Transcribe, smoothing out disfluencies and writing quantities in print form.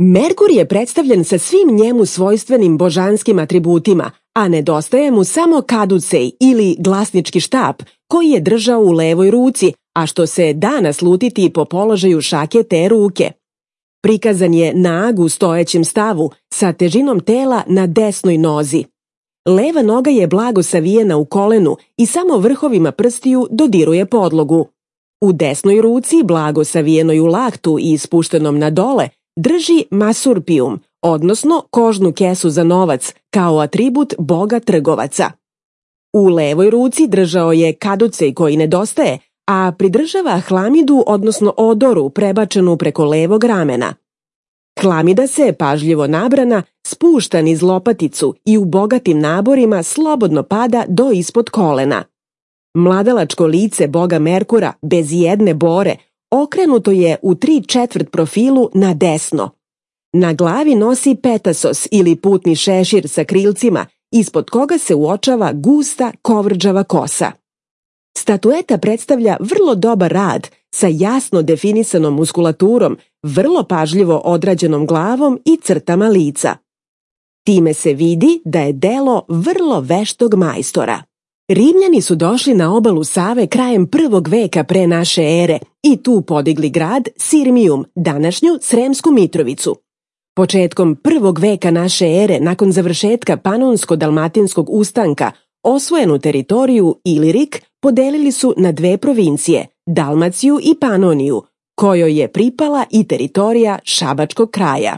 Merkur je predstavljen sa svim njemu svojstvenim božanskim atributima, a nedostaje mu samo kaducej ili glasnički štap koji je držao u levoj ruci, a što se da naslutiti po položaju šake te ruke. Prikazan je nag u stojećem stavu sa težinom tela na desnoj nozi. Leva noga je blago savijena u kolenu i samo vrhovima prstiju dodiruje podlogu. U desnoj ruci, blago savijenoj u laktu i spuštenom na dole, drži masurpijum, odnosno kožnu kesu za novac, kao atribut boga trgovaca. U levoj ruci držao je kaducej koji nedostaje, a pridržava hlamidu, odnosno odoru, prebačenu preko levog ramena. Hlamida se, pažljivo nabrana, spušta niz lopaticu i u bogatim naborima slobodno pada do ispod kolena. Mladalačko lice boga Merkura, bez jedne bore, okrenuto je u 3/4 profilu na desno. Na glavi nosi petasos ili putni šešir sa krilcima, ispod koga se uočava gusta kovrđava kosa. Statueta predstavlja vrlo dobar rad sa jasno definisanom muskulaturom, vrlo pažljivo odrađenom glavom i crtama lica. Time se vidi da je delo vrlo veštog majstora. Rimljani su došli na obalu Save krajem 1. veka pre naše ere i tu podigli grad Sirmijum, današnju Sremsku Mitrovicu. Početkom 1. veka naše ere, nakon završetka Panonsko-dalmatinskog ustanka, osvojenu teritoriju Ilirik podelili su na 2 provincije, Dalmaciju i Panoniju, kojoj je pripala i teritorija Šabačkog kraja.